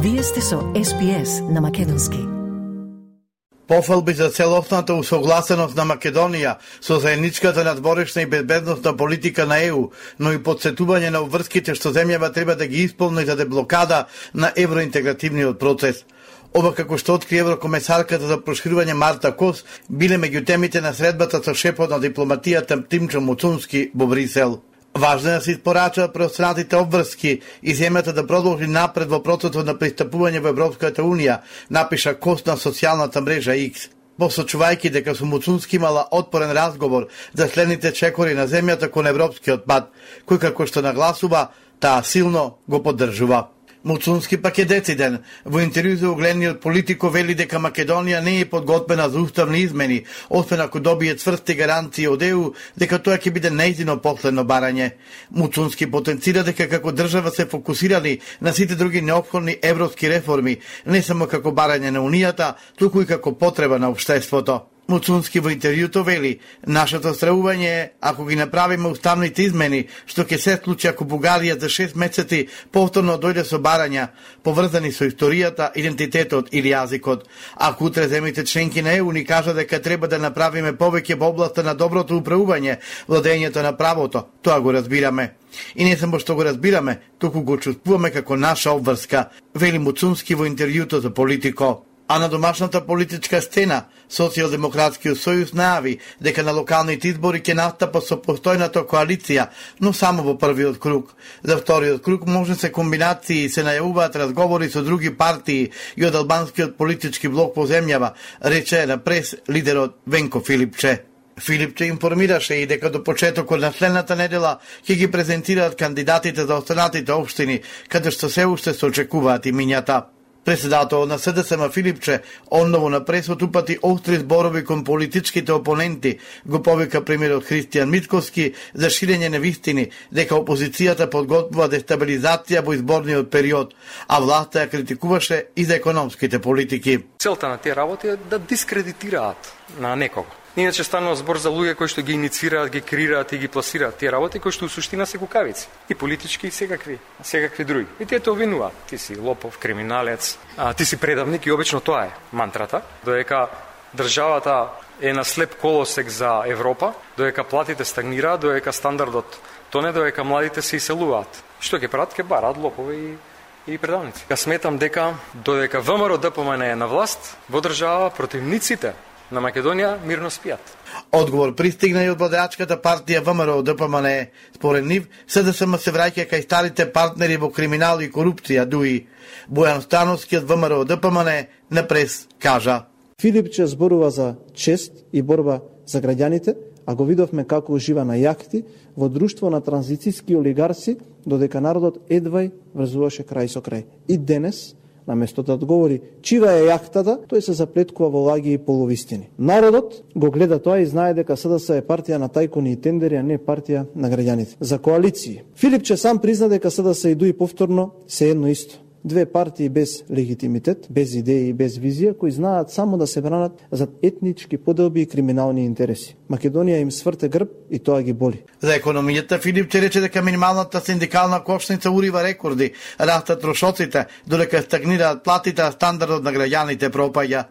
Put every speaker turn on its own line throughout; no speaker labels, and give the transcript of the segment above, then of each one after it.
Вие сте со SPS на македонски.
Пофалби за целосната усогласеност на Македонија со заедничката надворешна и безбедносна политика на ЕУ, но и подсетување на обврските што земјава треба да ги исполни за деблокада на евроинтегративниот процес. Ова како што откри еврокомесарката за проширување Марта Кос, биле меѓу темите на средбата со шефот на дипломатијата Тимчо Муцунски во Брисел. Важно е да се испорачаат преостранатите обврски и земјата да продолжи напред во процесот на пристапување во Европската Унија, напиша Кос на социјалната мрежа X. Посочувајќи дека со Муцунски имала отпорен разговор за следните чекори на земјата кон европскиот пат, кој како што нагласува, таа силно го поддржува. Муцунски пак е дециден. Во интервју за угледниот Политико вели дека Македонија не е подготвена за уставни измени, освен ако добие цврсти гаранции од ЕУ дека тоа ќе биде нејзино последно барање. Муцунски потенцира дека како држава се фокусирани на сите други неопходни европски реформи, не само како барање на Унијата, туку и како потреба на општеството. Муцунски во интервјуто вели: "Нашето стравување е, ако ги направиме уставните измени, што ќе се случи ако Бугарија за 6 месеци повторно дојде со барања, поврзани со историјата, идентитетот или јазикот. Ако утре земјите членки на ЕУ ни кажат дека треба да направиме повеќе во областа на доброто управување, владењето на правото, тоа го разбираме. И не само што го разбираме, туку го чувствуваме како наша обврска", вели Муцунски во интервјуто за Политико. А на домашната политичка сцена, Социјалдемократскиот сојуз најави дека на локалните избори ќе настапа со постојната коалиција, но само во првиот круг. За вториот круг може се комбинации и се најавуваат разговори со други партии и од албанскиот политички блок во земјава, рече на прес лидерот Венко Филипче. Филипче информираше и дека до почетокот на следната недела ќе ги презентираат кандидатите за останатите општини, каде што се уште се очекуваат имињата. Председател на СДСМ Филипче онново на пресот упати остри зборови кон политичките опоненти, го повика премиерот Христијан Мицкоски за ширење на вистини дека опозицијата подготвува дестабилизација во изборниот период, а власта ја критикуваше и за економските политики.
Целта на тие работи е да дискредитираат на некого. Иначе станува збор за луѓе кои што ги иницираат, ги креираат и ги пласираат тие работи кои што у суштина се кукавици, и политички и секакви други. И тие те обвинуваат: ти си лопов, криминалец, ти си предавник, и обично тоа е мантрата, додека државата е на слеп колосек за Европа, додека платите стагнираат, додека стандардот тоне, додека младите се иселуваат. Што ќе прават? Ќе бараат лопови и предавници. Ја сметам дека додека ВМРО ДПМН е на власт во држава, противниците на Македонија мирно спијат.
Одговор пристигна и од владеачката партија ВМРО ДПМН. Според нив, СДСМ се враќа кај старите партнери во криминал и корупција, дуи. Бојан Становски од ВМРО ДПМН на прес кажа:
Филипче зборува за чест и борба за граѓаните, а го видовме како ужива на јахти во друштво на транзицијски олигарси, додека народот едвај врзуваше крај со крај. И денес, наместо да одговори чива е јахтата, тој се заплеткува во лаги и полувистини. Народот го гледа тоа и знае дека СДС е партија на тајкуни и тендери, а не партија на граѓаните. За коалиции. Филипче сам призна дека СДС и ДУИ повторно се едно исто. Две партии без легитимитет, без идеи и без визија, кои знаат само да се бранат за етнички поделби и криминални интереси. Македонија им сврте грб и тоа ги боли.
За економијата Филипче рече дека минималната синдикална кошница урива рекорди, растат трошоците, додека стагнираат платите, а стандардот на граѓаните пропаѓа.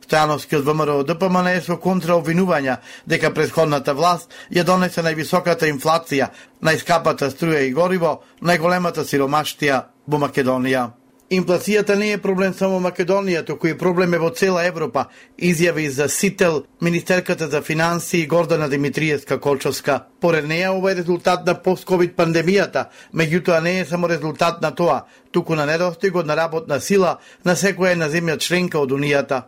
Стојановски од ВМРО ДПМН е со контраобвинувања дека претходната власт ја донесе највисоката инфлација, најскапата струја и гориво, најголемата сиромаштија во Македонија. Инфлацијата не е проблем само Македонија, туку и проблем е во цела Европа, изјави за Сител министерката за финансии Гордана Димитриевска-Колчовска. Поред неја, ова е резултат на пост-ковид пандемијата, меѓутоа не е само резултат на тоа, туку на недостигот на работна сила на секоја една земја членка од Унијата.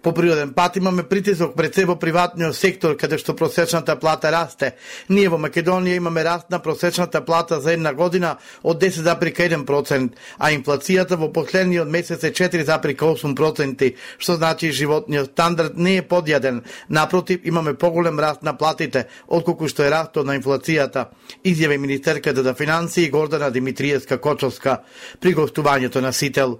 По природен пат имаме притисок пред се во приватниот сектор, каде што просечната плата расте. Ние во Македонија имаме раст на просечната плата за една година од 10,1%, а инфлацијата во последниот месец е 4,8%, што значи животниот стандард не е подјаден. Напротив, имаме поголем раст на платите, отколку што е растот на инфлацијата, изјави министерката за финансии Гордана Димитриевска-Колчовска при гостувањето на Сител.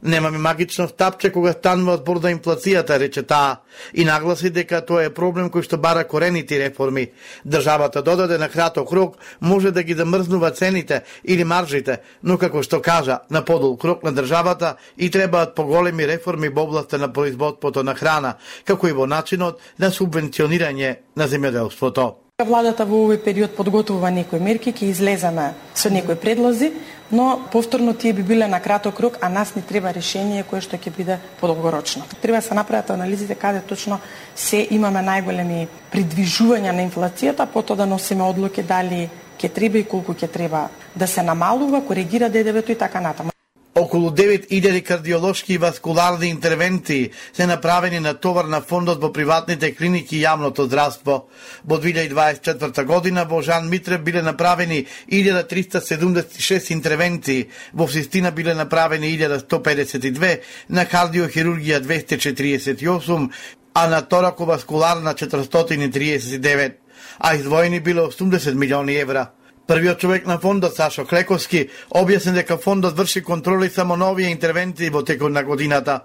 Немаме магично тапче кога станува збор за инфлацијата, рече таа, и нагласи дека тоа е проблем кој што бара корените реформи. Државата додаде на краток рок може да ги замрзнува цените или маржите, но како што кажа, на подолг рок на државата и требаат поголеми реформи во областа на производството на храна, како и во начинот на субвенционирање на земјоделството.
Владата во овој период подготвува некои мерки, ќе излеземе со некои предлози, но повторно тие би биле на краток рок, а нас ни треба решение кое што ќе биде подолгорочно. Треба да се направат анализите каде точно се имаме најголеми придвижувања на инфлацијата, потоа да носиме одлуки дали ќе треба и колку ќе треба да се намалува, коригира ДДВ-то и така натаму.
Околу 9000 кардиолошки и васкуларни интервенции се направени на товар на фондот во приватните клиники и јавното здравство. Во 2024 година во Жан Митрев биле направени 1376 интервенции, во Систина биле направени 1152, на кардиохирургија 248, а на тораковаскуларна 439, а издвоени биле 80 милиони евра. Првиот човек на фондот, Сашо Клековски, објасни дека фондот врши контроли само на овие интервенции во текот на годината.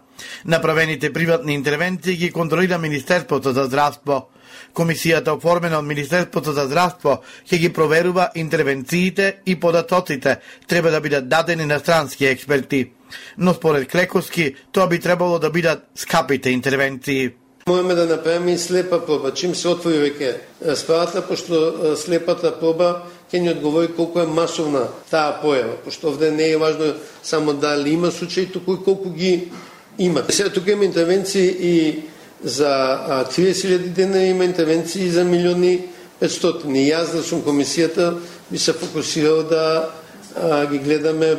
Направените приватни интервенции ги контролира Министерството за здравство. Комисијата оформена од Министерството за здравство ќе ги проверува интервенциите и податоците треба да бидат дадени на странски експерти. Но според Клековски, тоа би требало да бидат скапите интервенции.
Можеме да направиме и слепа проба. Чим се отвори веќе справата, пошто слепата проба ќе ни одговори колку е масовна таа појава, пошто овде не е важно само дали има случаи, туку и колку ги има. Сега тука има интервенции и за 30.000 дена, има интервенции и за 1.500.000. И јас да сум комисијата би се фокусирал да ги гледаме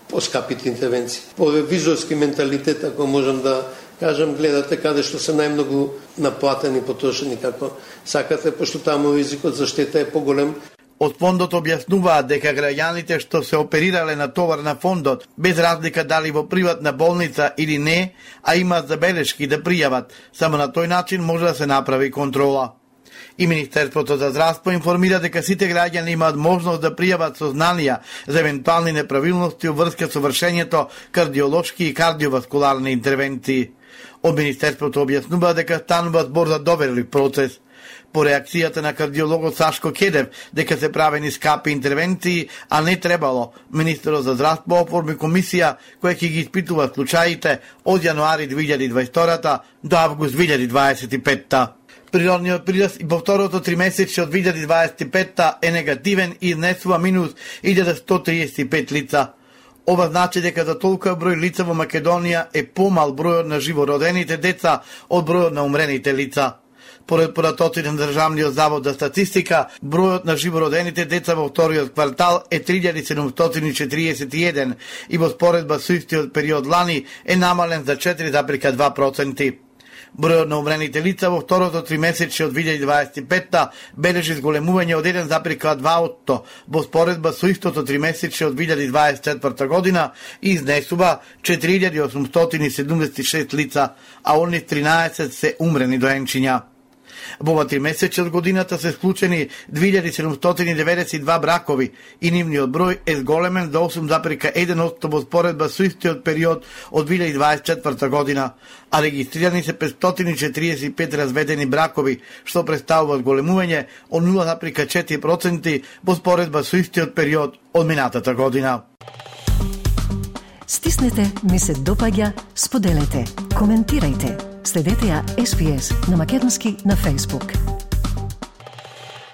поскапите интервенции. По ревизорски менталитет, ако можам да кажам, гледате каде што се најмногу наплатени, потрошени, како сакате, пошто таму ризикот за штета е поголем.
Од фондот објаснуваат дека граѓаните што се оперирале на товар на фондот, без разлика дали во приватна болница или не, а имаат забелешки да пријават, само на тој начин може да се направи контрола. И Министерството за здравство информира дека сите граѓани имаат можност да пријават сознанија за евентуални неправилности во врска со вршењето кардиолошки и кардиоваскуларни интервенции. Од Министерството објаснува дека станува збор за доверлив процес. По реакцијата на кардиологот Сашко Кедев дека се правени скапи интервенции, а не требало, министерот за здравство оформи комисија која ќе ги испитува случаите од јануари 2022 до август 2025. Природниот прираст и во второто тримесечје од 2025 е негативен и изнесува минус 1135 лица. Ова значи дека за толкова број лица во Македонија е помал бројот на живородените деца од бројот на умрените лица. Поред податоците на Државниот завод за статистика, бројот на живородените деца во вториот квартал е 3741 и во споредба со истиот период лани е намален за 4,2%. Бројот на умрените лица во второто тримесечје од 2025 бележи зголемување од 1,2% во споредба со истото тримесечје од 2024 година и изнесува 4876 лица, а од нив 13 се умрени доенчиња. Во ова тримесечје од годината се склучени 2792 бракови и нивниот број е зголемен за 8,1% во споредба со истиот период од 2024 година, а регистрирани се 545 разведени бракови, што представува зголемување од 0,4% во споредба со истиот период од минатата година.
Стиснете, ми се допаѓа, споделете, коментирајте. Следете ја SPS на Македонски на Facebook.